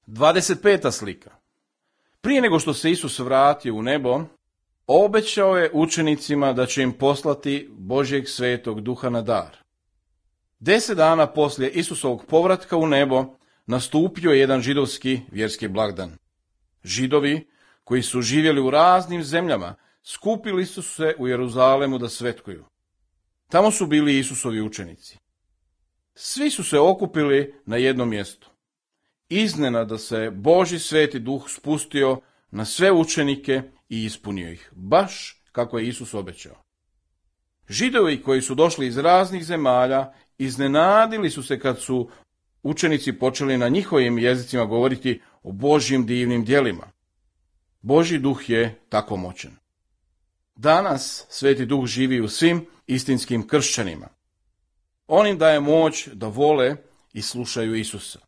25. slika. Prije nego što se Isus vratio u nebo, obećao je učenicima da će im poslati Božjeg svetog duha na dar. 10 dana poslije Isusovog povratka u nebo nastupio je jedan židovski vjerski blagdan. Židovi koji su živjeli u raznim zemljama skupili su se u Jeruzalemu da svetkuju. Tamo su bili Isusovi učenici. Svi su se okupili na jednom mjestu. Iznenada se Božji sveti duh spustio na sve učenike i ispunio ih, baš kako je Isus obećao. Židovi koji su došli iz raznih zemalja iznenadili su se kad su učenici počeli na njihovim jezicima govoriti o Božjim divnim djelima. Božji duh je tako moćan. Danas Sveti duh živi u svim istinskim kršćanima. On im daje moć da vole i slušaju Isusa.